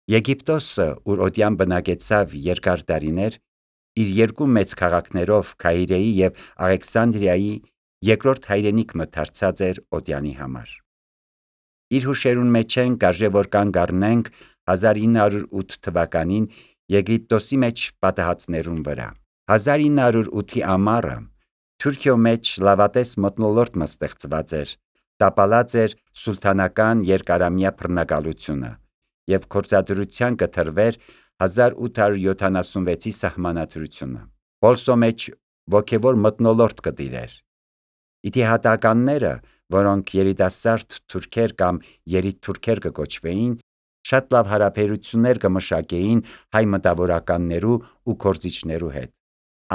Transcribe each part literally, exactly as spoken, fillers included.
Եգիպտոսը, ուր օդյան բնակեցավ երկար տարիներ, իր երկու մեծ քաղաքներով Քահիրեի և Աղեքսանդրիայի երկրորդ հայրենիքը դարձած էր օդյանի համար։ Իր հուշերուն մեջ են կարժե որ կանգ առնենք հազար ինը հարյուր ութ թվականին Եգիպտոսի մեջ պատահածներուն վրա։ հազար ինը հարյուր ութի ամառը Թուրքիո մեջ լավատես մթնոլորտ ստեղծված էր, տապալած էր սուլթանական երկարամյա բռնակալությունը և գործադրության կտրվեր հազար ութ հարյուր յոթանասունվեցի սահմանադրությունը։ Պոլսո մեջ ոգևոր մթնոլորտ կտիրեր։ Իթիհադականները, որոնք երիտասարդ թուրքեր կամ երիտթուրքեր կկոչվեին, շատ լավ հարաբերություններ կմշակեին հայ մտավորականներու ու գործիչներու հետ։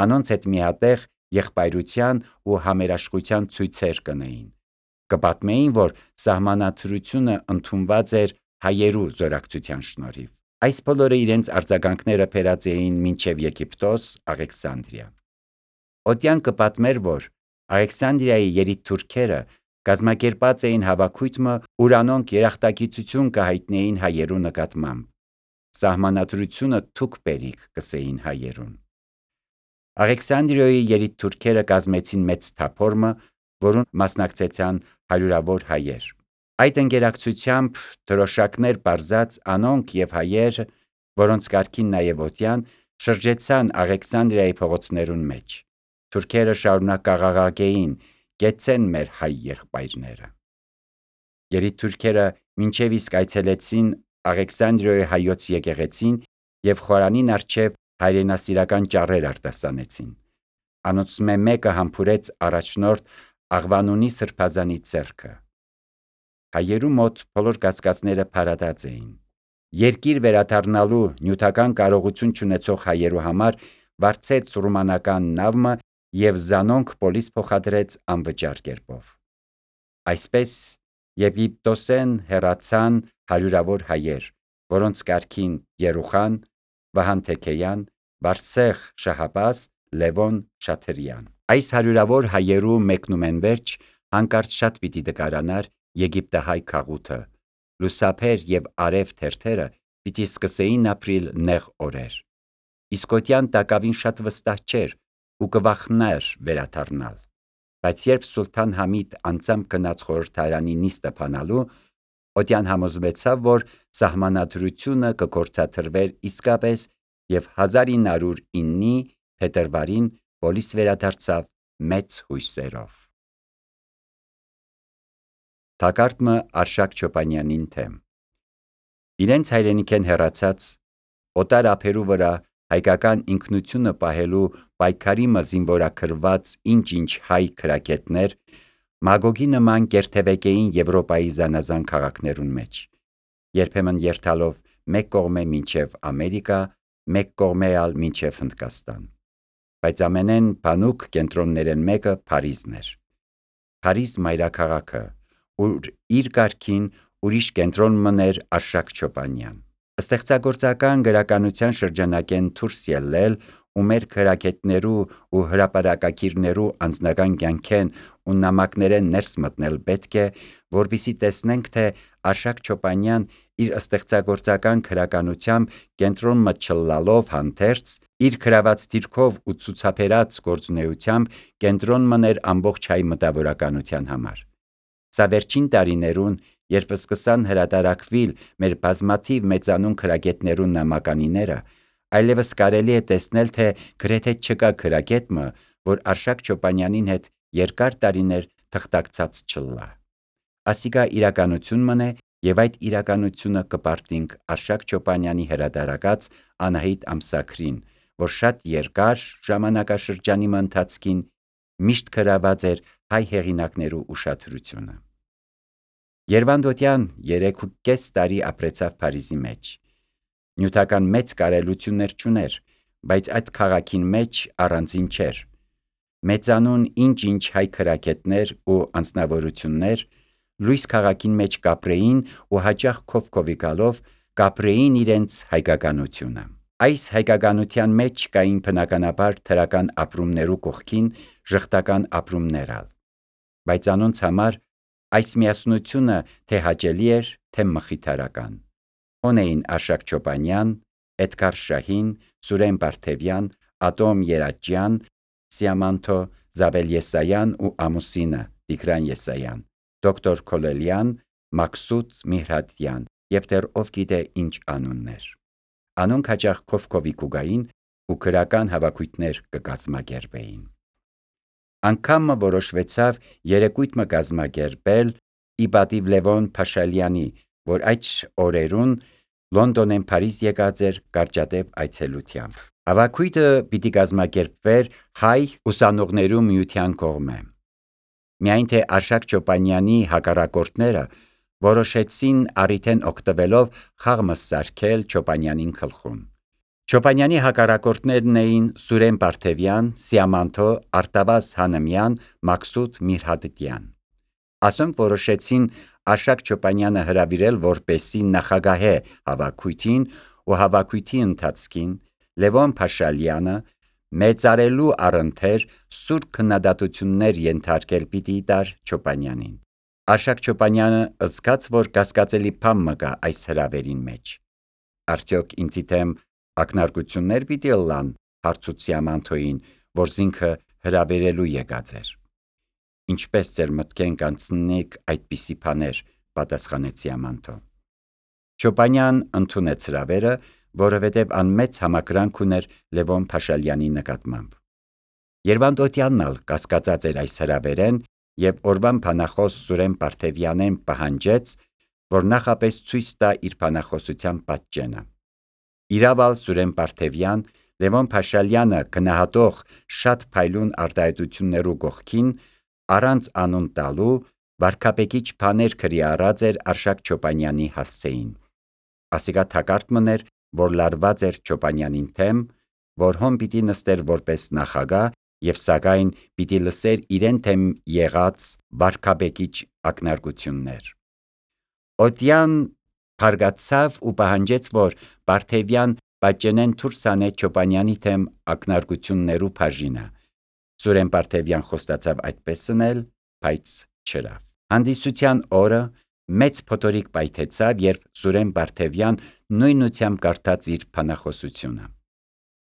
Անոնց հետ միատեղ եղբայրության ու համերաշխության ցույցեր կնեին։ Կպատմեին, որ սահմանադրությունը ընդունված էր հայերու զորակցության շնորհիվ։ Այս բոլորը իրենց արձագանքները բերած էին մինչև Եգիպտոս, Աղեքսանդրիա։ Օդյան կպատմեր, որ Աղեքսանդրիայի երիտթուրքերը կազմակերպած էին հավաքույթը, ուր անոնք երախտագիտություն կհայտնեին հայերու նկատմամբ։ Սահմանադրությունը թուք բերիք կսեին հայերուն։ Աղեքսանդրիայի երիտթուրքերը կազմեցին մեծ թափորմը, որուն մասնակցեցան հարյուրավոր հայեր։ Այդ ընկերակցությամբ դրոշակներ պարզած անոնք և հայեր, որոնց կարգին նաև օդյան, շրջեցան Աղեքսանդրիայի փողոցներուն մեջ։ Թուրքերը շարունակ կաղաղակեին. «Կեցցեն մեր հայ եղբայրները»։ Երիտթուրքերը մինչև իսկ այցելեցին Աղեքսանդրիոյի հայոց եկեղեցին և խորանին առջև հայրենասիրական ճառեր արտասանեցին։ Անոնցմէ մեկը համբուրեց առաջնորդ Աղվանունի սրբազանի ձեռքը։ Հայերու մոտ բոլոր կասկածները փարատած էին։ Երկիր վերադառնալու նյութական կարողություն չունեցող հայերու համար վարձեց ռումանական նավը և զանոնք պոլիս փոխադրեց անվճար կերպով։ Այսպես Եգիպտոսեն հեռացան հարյուրավոր հայեր, որոնց կարգին Երուխան, Վահան Թեքեյան, Վարսեղ Շահաբաս, Լևոն Շաթրյան։ Այս հարյուրավոր հայերու մեկնումենվերջ հանկարծ շատ պիտի դկարանար եգիպտահայ քաղուտը, լուսափեր և արև թերթերը պիտի սկսեին ապրիլ նեղ օրեր։ Իսկ օդյան տակավին շատ վստահ չէր ու կվախներ վերադառնալ։ Բայց երբ Սուլթան Համիդ անձամբ գնաց խորհրդարանի նիստը բանալու, օդյան համոզվեցավ, որ սահմանադրությունը կգործադրվեր իսկապես և հազար ինը հարյուր իննի փետրվարին պոլիս վերադարձավ մեծ հույսերով։ Թակարդմը Արշակ Չոպանյանին թեմ։ Իրենց հայրենիքեն հեռացած, օտար ափերու վրա հայկական ինքնությունը պահելու պայքարիմը զինվորագրված ինչ-ինչ հայ քրագետներ Մագոգի նման կերթևեկեին Եվրոպայի զանազան քաղաքներուն մեջ, երբեմն երթալով մեկ կողմե մինչև Ամերիկա, մեկ կողմե ալ մինչև Հնդկաստան։ Բայց ամենեն բանուկ կենտրոններեն մեկը Փարիզն էր։ Փարիզ մայրաքաղաքը, ուր իր կարգին ուրիշ կենտրոն մըներ Արշակ Չոպանյան։ Ստեղծագործական գրականության շրջանակեն դուրս ելնել ու մեր քրագետներու ու հրապարակագիրներու անձնական կյանքեն ու նամակներեն ներս մտնել պետք է, որպեսզի տեսնենք, թե Արշակ Չոպանյան իր ստեղծագործական գրականությամբ կենտրոնը չլալով հանդերձ, իր գրաված դիրքով ու ցուցաբերած գործունեությամբ կենտրոն մըներ ամբողջ հայ մտավորականության համար։ Սա վերջին տարիներուն, երբ սկսան հրատարակվել մեր բազմաթիվ մեծանուն քրագետներու նամականիները, այլևս կարելի է տեսնել, թե գրեթե չկա քրագետը, որ Արշակ Չոպանյանին հետ երկար տարիներ թղթակցած չլա։ Ասիկա իրականություն մըն է, և այդ իրականությունը կպարտինք Արշակ Չոպանյանի հրատարակած Անահիտ ամսագրին, որ շատ երկար ժամանակաշրջանի ընթացքին միշտ գրաված էր հայ հեղինակներու ուշադրությունը։ Երվանդոտյան երեք ու կես տարի ապրեցավ Փարիզի մեջ։ Նյութական մեծ կարելություններ չուներ, բայց այդ քաղաքին մեջ առանձին չէր։ Մեծանուն ինչ-ինչ հայ քրագետներ ու անձնավորություններ լույս քաղաքին մեջ կապրեին ու հաճախ քով-քովի գալով կապրեին իրենց հայկականությունը։ Այս հայկականության մեջ կային բնականաբար դրական ապրումներու կողքին ժխտական ապրումներ ալ, բայց անոնց համար այս միասնությունը թե հաճելի էր, թե մխիթարական։ հոն էին Արշակ Չոպանյան, Էդգար Շահին, Սուրեն Բարթևյան, Ատոմ Երաճյան, Սիամանթո Զաբել Եսայան ու ամուսինը Տիգրան Եսայան, դոկտոր Քոլելյան, Մաքսուտ Միհրատյան եւ դեռ ով գիտե ինչ անուններ։ Անոնք հաճախ քովքովի կուգային ու քրական հավաքույթներ կկազմակերպեին։ Անգամը որոշվեցավ երեկույթ մը կազմակերպել ի պատիվ Լևոն Փաշալյանի, որ այդ օրերուն Լոնդոնեն Փարիզ եկած էր կարճատև այցելությամբ։ Հավաքույթը պիտի կազմակերպվեր հայ ուսանողներու միության կողմէ։ Միայն թե Արշակ Չոպանյանի հակառակորդները որոշեցին առիթեն օգտվելով խաղ սարքել Չոպանյանին գլխուն։ Չոպանյանի հակառակորդներն էին Սուրեն Բարթևյան, Սիամանթո Արտավազ Հանմյան, Մաքսուտ Միհրատյան։ Ասոնք որոշեցին Արշակ Չոպանյանը հրավիրել որպեսի նախագահե հավաքույթին ու հավաքույթի ընթացքին Լևոն Փաշալյանը մեծարելու առընթեր սուր քննադատություններ ենթարկել պիտի տար Չոպանյանին։ Արշակ Չոպանյանը զգաց, որ կասկածելի բան մը կա այս հրավերին մեջ։ Արդյոք ինձի դեմ ակնարկություններ պիտի ըլլան հարցուց Սիամանթոյին, որ զինքը հրավերելու եկած էր։ Ինչպես ձեր մտքեն կանցնիկ այդպիսի բաներ, պատասխանեց Սիամանթո։ Չոպանյան ընդունեց հրավերը, որովհետև անմեծ համակրանք ուներ Լևոն Փաշալյանի նկատմամբ։ Երվանդ Օթյանն ալ կասկածած էր այս հրավերեն եւ օրվան բանախոս Սուրեն Բարթևյանեն պահանջեց, որ նախապես ցույց տա իր բանախոսության պատճենը։ Իրավալ Սուրեն Բարթևյան Լևոն Փաշալյանը գնահատող շատ փայլուն արտահայտություններու կողքին առանց անուն տալու վարքապեկիչ բաներ քրի առած էր Արշակ Չոպանյանի հասցեին։ Ասիկա թակարդ մներ, որ լարված էր Չոպանյանին թեմ, որ հոն պիտի նստեր որպես նախագահ եւ սակայն պիտի լսեր իրեն թեմ եղած վարքապեկիչ ակնարկություններ։ Օթյան փարգացավ ու պահանջեց, որ Բարթևյան պատճենեն դուրս անե Չոպանյանի թեմ ակնարկություններու բաժինը։ Սուրեն Բարթևյան խոստացավ այդպես անել, բայց չրավ։ Հանդիսության օրը մեծ փոթորիկ պայթեցավ, երբ Սուրեն Բարթևյան նույնությամբ կարդաց իր բանախոսությունը։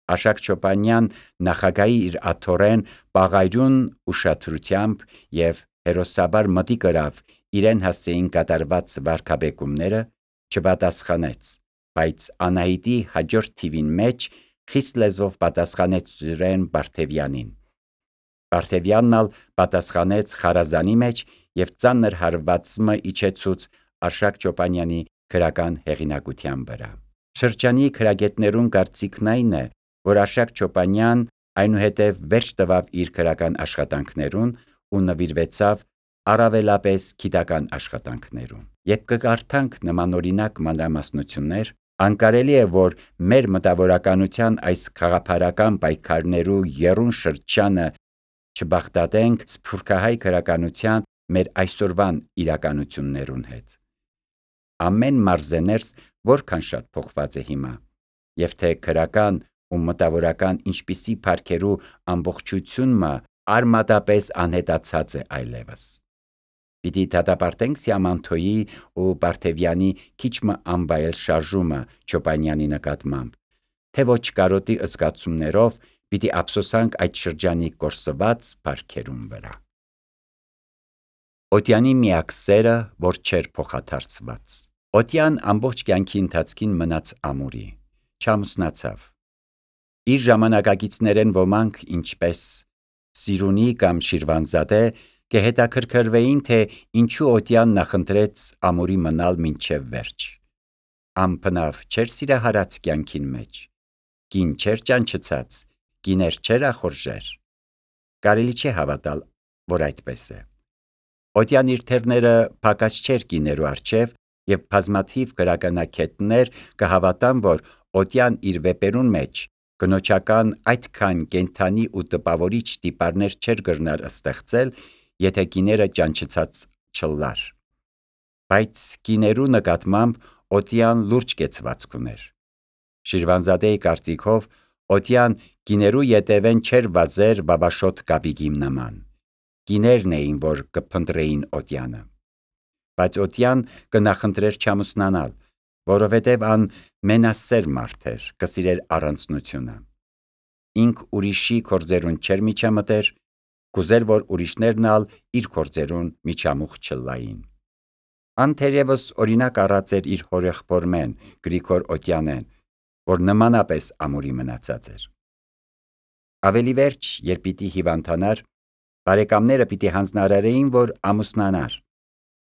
Արշակ Չոպանյան նախագահի իր աթոռեն պաղայրուն ուշադրությամբ եւ հերոսաբար մտի կրավ իրեն հասցեին կատարված վարքաբեկումները, չպատասխանեց, բայց Անահիտի հաջորդ թիվին մեջ խիստ լեզվով պատասխանեց Սուրեն Բարթևյանին։ Բարթևյանն ալ պատասխանեց խարազանի մեջ եւ ծանր հարվածը իջեցուց Արշակ Չոպանյանի քրական հեղինակության վրա։ Շրջանի քրագետներուն կարծիքն այն է, որ Արշակ Չոպանյան այնուհետև վերջ տվավ իր քրական աշխատանքներուն ու նվիրվեցավ առավելապես գիտական աշխատանքներուն։ Երբ կկարդանք նմանօրինակ մանրամասնություններ, անկարելի է, որ մեր մտավորականության այս խաղափարական պայքարներու եռուն շրջանը չբախտատենք սփյուռքահայ քրականության մեր այսօրվան իրականություններուն հետ։ Ամեն մարզեներս որքան շատ փոխված է հիմա, եւ թե քրական ու մտավորական ինչպիսի փառքերու ամբողջությունը արմատապես անհետացած է այլևս։ Պիտի դատապարտենք Սիամանթոյի ու Բարթևյանի քիչ մը անվայել շարժումը Չոպանյանի նկատմամբ, թե ոչ կարոտի զգացումներով պիտի ափսոսանք այդ շրջանի կորսված փառքերուն վրա։ Օթյանի միակ սերը, որ չէր փոխադարձված։ Օթյան ամբողջ կյանքի ընթացքին մնաց ամուրի, չամուսնացավ։ Իր ժամանակակիցներեն ոմանք, ինչպես Սիրունի կամ Շիրվանզադե, կհետաքրքրվեին, թե ինչու Օթյան նախընտրեց ամուրի մնալ մինչև վերջ։ Ամփնավ չէր սիրահարած կյանքին մեջ, կին չէր ճանչցած, կիներ չէր ախորժեր։ Կարելի չէ հավատալ, որ այդպես է։ Օթյան իր թերները փակած չէր կիներու առջև եւ բազմաթիվ գրականագետներ կհավատան, որ Օթյան իր վեպերուն մեջ կնոջական այդքան կենթանի ու տպավորիչ տիպարներ չէր գրնար ստեղծել, եթե կիները ճանչցած չլար։ Բայց կիներու նկատմամբ Օթյան լուրջ կեցվածք ուներ։ Շիրվանզադեի կարծիքով Օթյան կիներու ետևեն չէր վազեր բաբաշոտ կապիկի նման։ Կիներն էին, որ կփնտրեին Օթյանը։ Բայց Օթյան կնախընտրեր չամուսնանալ, որովհետև ան մենասեր մարդ էր, կսիրեր առանձնությունը։ Ինք ուրիշի քորձերուն չեր միջամտեր, կուզեր, որ ուրիշներն ալ իր քորձերուն միջամուխ չլային։ Ան թերևս օրինակ առած էր իր հորեղբորմեն Գրիգոր Օտյանեն, որ նմանապես ամուրի մնացած էր։ Ավելի վերջ, երբ պիտի հիվանդանար, բարեկամները պիտի հանձնարարեին, որ ամուսնանար,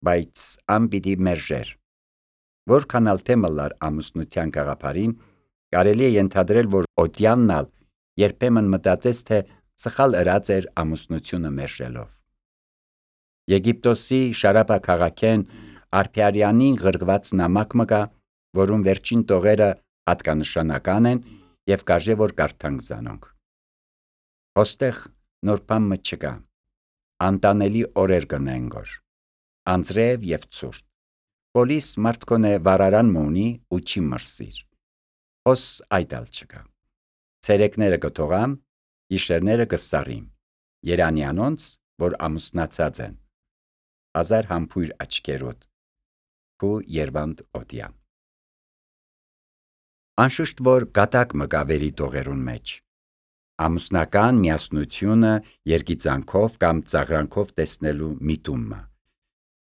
բայց ան պիտի մերժեր։ Որքան ալ թե մլար ամուսնության գաղափարին, կարելի է ենթադրել, որ Օտյանն ալ երբեմն մտածեց, թե սխալ ըրած էր ամուսնությունը մերժելով։ Եգիպտոսի Շարապա քաղաքեն Արփիարյանին գրգված նամակ մը կա, որում վերջին տողերը հատկանշանական են եւ կարժե որ կարդանք զանոնք։ Ոստեղ նոր բան մը չկա։ Անտանելի օրեր կնեն գոր։ Անձրև եւ ցուրտ։ Պոլիս մարդկոնե վարարան մունի ու չի մրսիր։ Ոս այդալ չկա։ Ցերեկները կթողամ, իշերները կսարիմ։ Երանյանոնց, որ ամուսնացած են։ Հազար համբույր աչքերոտ։ Ու Երվանդ Օտյան։ Անշուշտ որ գատակ մը գավերի տողերուն մեջ։ Ամուսնական միասնությունը երգիծանքով կամ ծաղրանքով տեսնելու միտումը։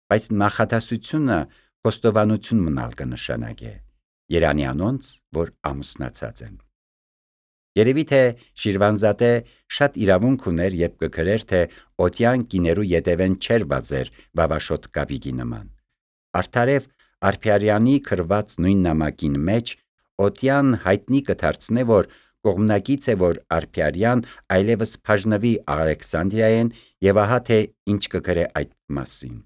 Բայց նախադասությունը խոստովանություն մնալ կնշանակե։ Երանյանոնց, որ ամուսնացած են։ Երևի թե Շիրվանզադե շատ իրավունք ուներ, երբ կգրեր, թե Օտյան կիներու ետևեն չեր վազեր վավաշոտ կապիկի նման։ Արդարև Արփիարյանի գրված նույն նամակին մեջ Օտյան հայտնի կդարձնե, որ կողմնակից է, որ Արփիարյան այլևս բաժնվի Ալեքսանդրիայեն եւ ահա թե ինչ կգրե այդ մասին։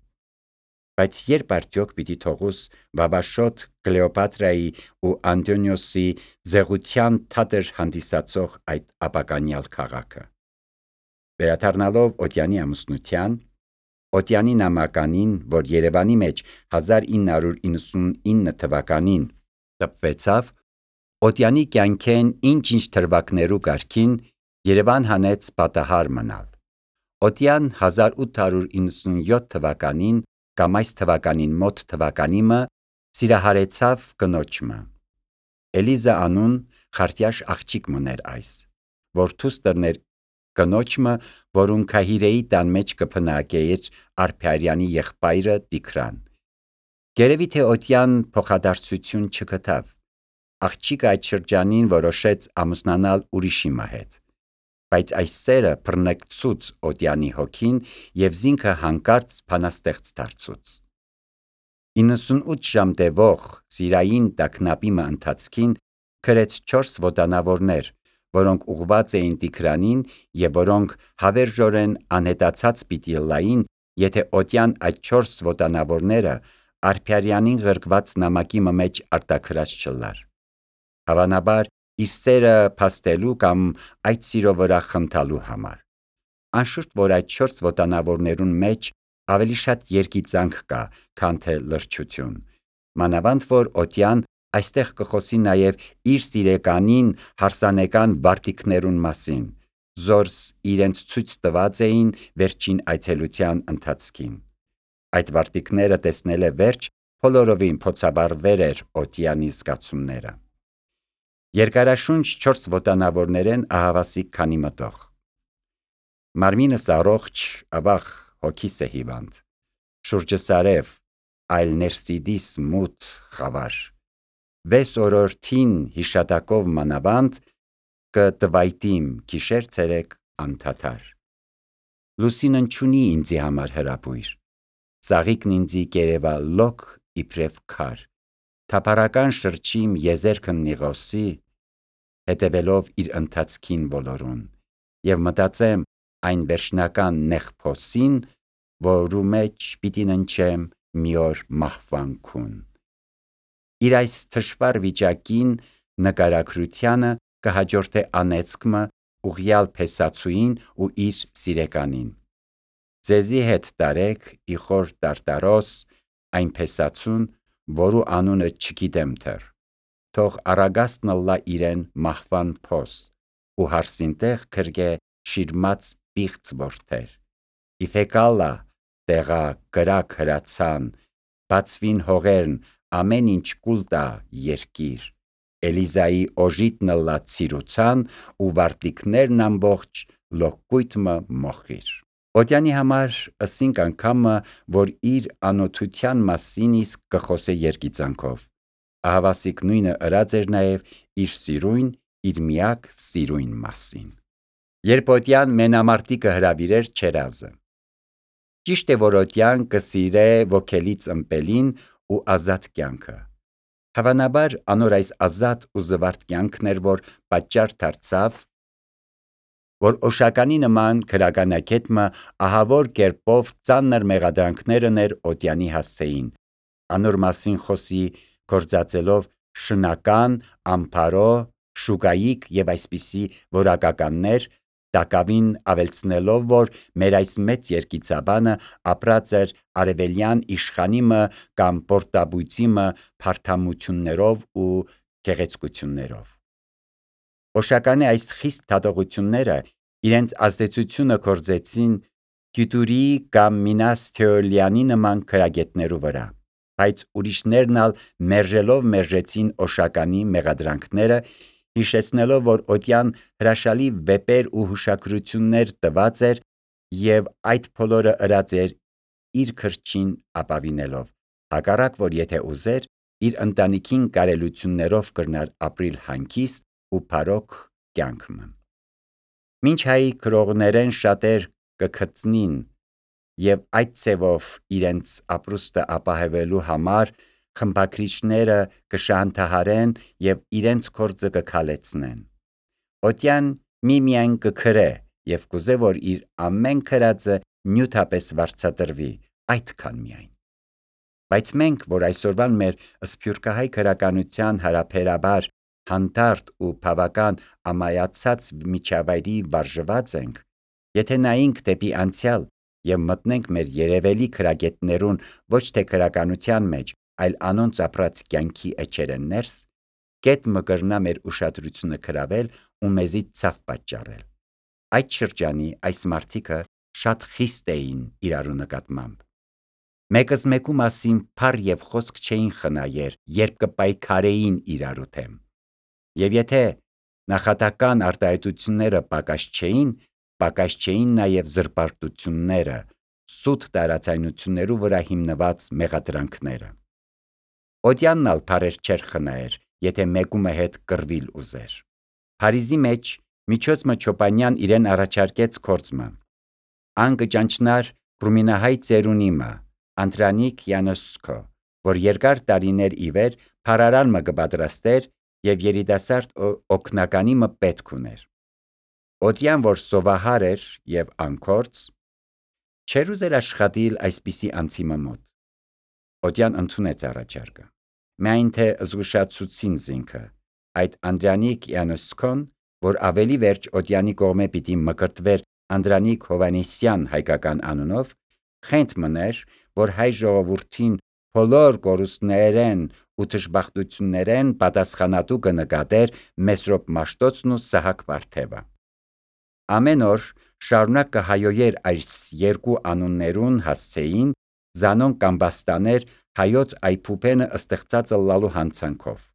Բայց երբ արդյոք պիտի թողուս վավաշոտ Կլեոպատրայի ու Անտոնիոսի զեղության թատեր հանդիսացող այդ ապականյալ քաղաքը։ Վերադառնալով Օտյանի ամուսնության, Օտյանի նամականին, որ Երևանի մեջ հազար ինը հարյուր իննսունինը թվականին տպվեցավ, Օտյանի կյանքեն ինչ-ինչ թրվակներու կարգին Երևան հանեց պատահար մնալ։ Օտյան հազար ութ հարյուր իննսունյոթ թվականին կամ այս թվականին մոտ թվականիմը սիրահարեցավ կնոջմը։ Էլիզա անուն խարտյաշ աղջիկ մներ այս, որ թուստերներ կնոջմը, որուն քահիրեի տան մեջ կփնակեիր Արփիարյանի եղբայրը Տիգրան։ Գերևի թե Օտյան փոխադարձություն չգտավ։ Աղջիկը այդ շրջանին որոշեց ամուսնանալ ուրիշի հետ, բայց այս սերը բռնկցուց Օտյանի հոգին եւ զինքը հանկարծ բանաստեղծ դարձուց։ իննսունութ ժամ տևող սիրային տագնապի մը ընթացքին գրեց չորս ոտանավորներ, որոնք ուղված էին Տիգրանին եւ որոնք հավերժորեն անհետացած պիտի լային, եթե Օտյան այդ չորս ոտանավորները Արփիարյանին գրգված նամակի մեջ արտաքրած չլար։ Հավանաբար իր սերը փաստելու կամ այդ սիրո վրա խնդալու համար։ Անշուշտ որ այդ չորս ոտանավորներուն մեջ ավելի շատ երգիծանք կա, քան թե լրջություն։ Մանավանդ որ Օտյան այստեղ կխոսի նաև իր սիրեկանին հարսանեկան վարտիքներուն մասին, զորս իրենց ցույց տված էին վերջին այցելության ընթացքին։ Այդ վարտիքները տեսնել է վերջ բոլորովին փոցաբարվեր էր Օտյանի զգացումները։ Երկարաշունչ չորս ոտանավորներեն ահավասիկ քանի մտող։ Մարմինս առողջ, ավաղ հոգիս է հիվանդ։ Շուրջս արև, այլ ներսիդիս մութ խավար։ Վես օրորթին հիշատակով մանավանդ կտվայտիմ գիշեր ցերեկ անդադար։ Լուսինն չունի ինձի համար հրապույր։ Ծաղիկն ինձի կերևա լոկ իբրև քար։ Թափառական շրջիմ եզերքն նիղոսի, հետևելով իր ընթացքին բոլորուն, եւ մտածեմ այն վերջնական նեղ փոսին, որու մեջ պիտի ննչեմ մի օր մահվանքուն։ Իր այս թշվառ վիճակին նկարագրությանը կհաջորդե անեծքմը ուղյալ փեսացուին ու իր սիրեկանին։ Ձեզի հետ տարեք իխոր տարտարոս այն փեսացուն, որու անունը չգիտեմ թեր, թող առագաստն ըլլա իրեն մահվան փոս, ու հարսինտեղ քրգե շիրմած պիղծ որդեր։ Իֆեկալա տեղա կրակ հրացան, բացվին հողերն ամեն ինչ կուլ տա երկիր, Էլիզայի օժիտն ըլլա ցիրուցան ու վարտիքներն ամբողջ լոկկույթմը մոխիր։ Օդյանի համար ըսինք անգամը, որ իր անօթության մասին իսկ կխոսե երգիծանքով, ահավասիկ նույնը ըրած էր նաև իր սիրույն, իր միակ սիրույն մասին։ Երբ Օդյան մենամարտիկը հրավիրեր Չերազը։ Ճիշտ է, որ Օդյան կսիրե ոգելից ըմպելին ու ազատ կյանքը։ Հավանաբար անոր այս ազատ ու զվարթ կյանքն էր, որ պատճառ դարձավ, որ Օշականի նման քրագանակետմը ահավոր կերպով ծանր մեղադրանքները ներ Օդյանի հասցեին, անոր մասին խոսի գործածելով շնական, ամփարո, շուկայիկ և այսպիսի որակականներ, տակավին ավելցնելով, որ մեր այս մեծ երգիծաբանը ապրած էր արևելյան իշխանիմը կամ պորտաբույծիմը փարթամություններով ու գեղեցկություններով։ Օշականի այս խիստ դատողությունները իրենց ազդեցությունը գործեցին Գյուտուրիի կամ Մինաս Թեոլիանի նման քրագետներու վրա, բայց ուրիշներն ալ մերժելով մերժեցին Օշականի մեղադրանքները, հիշեցնելով, որ Օդյան հրաշալի վեպեր ու հուշագրություններ տված էր և այդ բոլորը ըրած էր իր քրչին ապավինելով, հակառակ որ եթե ուզեր, իր ընտանիքին կարելություններով կրնար ապրիլ հանգիստ ու փարոք կյանքմը։ Մինչ հայ գրողներեն շատեր կգծնին և այդ ցևով իրենց ապրուստը ապահովելու համար խմբագրիչները կշահանդահարեն և իրենց գործը կքալեցնեն, Օդյան միմիայն կգրե և կուզե, որ իր ամեն գրածը նյութապես վարձատրվի, այդքան միայն։ Բայց մենք, որ այսօրվան մեր սփյուռքահայ գրականության հարաբերաբար հանդարտ ու բավական ամայացած միջավայրի վարժված ենք, եթե նայենք դեպի անցյալ և մտնենք մեր երևելի գրագետներուն ոչ թե գրականության մեջ, այլ անոնց ապրած կյանքի էջերեն ներս, կետ մը կրնա մեր ուշադրությունը գրավել ու մեզի ցավ պատճառել։ Այդ շրջանի այս մարդիկը շատ խիստ էին իրարու նկատմամբ։ Մեկըզ մեկու մասին փառ և խոսք չէին խնայեր, երբ կպայքարեին իրարու դեմ։ Եվ եթե նախատական արտահայտությունները պակաս չէին, պակաս չէին նաև զրպարտությունները, սուտ տարաձայնություններու վրա հիմնված մեղադրանքները։ Օդյանն ալ փառեր չէր խնայեր, եթե մեկումը հետ կռվիլ ուզեր։ Փարիզի մեջ միջոցմը Չոպանյան իրեն առաջարկեց գործմը։ Ան կճանչնար ռումինահայ ծերունիմը, Անդրանիկ Յանոսկո, որ երկար տարիներ ի վեր փարարան մը կպատրաստեր և երիտասարդ օգնականի մը պետք ուներ։ Օդյան, որ սովահար էր և անգործ, չէր ուզեր աշխատիլ այսպիսի անձի մոտ։ Օդյան ընդունեց առաջարկը։ Միայն թե զգուշացուցին զինքը, այդ Անդրանիկ Յանոսկոն, որ ավելի վերջ Օդյանի կողմէ պիտի մկրտվեր Անդրանիկ Հովանեսյան հայկական անունով, խենթ մներ, որ հայ ժողովուրդին բոլոր կորուստներեն ու դժբախտություններեն պատասխանատու կնկատեր Մեսրոպ Մաշտոցն ու Սահակ Պարթևը։ Ամեն օր շարունակ կհայոյեր այս երկու անուններուն հասցեին, զանոնք կամբաստաներ հայոց այփուպենը ստեղծած ըլլալու հանցանքով։